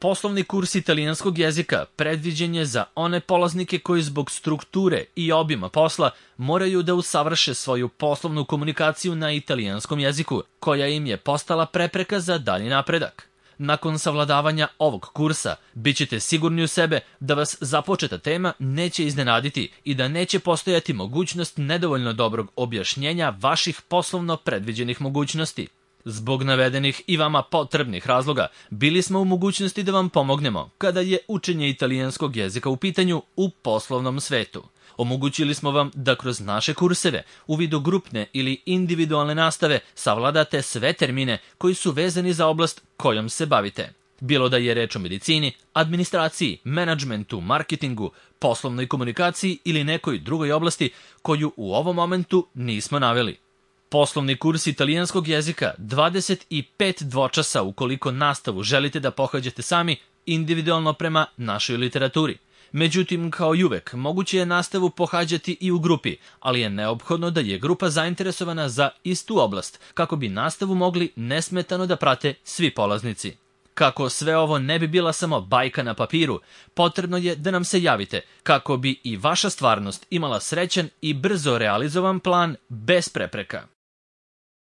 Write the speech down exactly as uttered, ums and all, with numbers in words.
Poslovni kurs italijanskog jezika predviđen je za one polaznike koji zbog strukture i obima posla moraju da usavrše svoju poslovnu komunikaciju na italijanskom jeziku, koja im je postala prepreka za dalji napredak. Nakon savladavanja ovog kursa, bit ćete sigurni u sebe da vas započeta tema neće iznenaditi i da neće postojati mogućnost nedovoljno dobrog objašnjenja vaših poslovno predviđenih mogućnosti. Zbog navedenih i vama potrebnih razloga, bili smo u mogućnosti da vam pomognemo kada je učenje italijanskog jezika u pitanju u poslovnom svetu. Omogućili smo vam da kroz naše kurseve, u vidu grupne ili individualne nastave, savladate sve termine koji su vezani za oblast kojom se bavite. Bilo da je reč o medicini, administraciji, menadžmentu, marketingu, poslovnoj komunikaciji ili nekoj drugoj oblasti koju u ovom momentu nismo naveli. Poslovni kurs italijanskog jezika dvadeset pet dvočasa ukoliko nastavu želite da pohađate sami individualno prema našoj literaturi. Međutim, kao i uvek, moguće je nastavu pohađati i u grupi, ali je neophodno da je grupa zainteresovana za istu oblast, kako bi nastavu mogli nesmetano da prate svi polaznici. Kako sve ovo ne bi bila samo bajka na papiru, potrebno je da nam se javite, kako bi i vaša stvarnost imala srećan i brzo realizovan plan bez prepreka.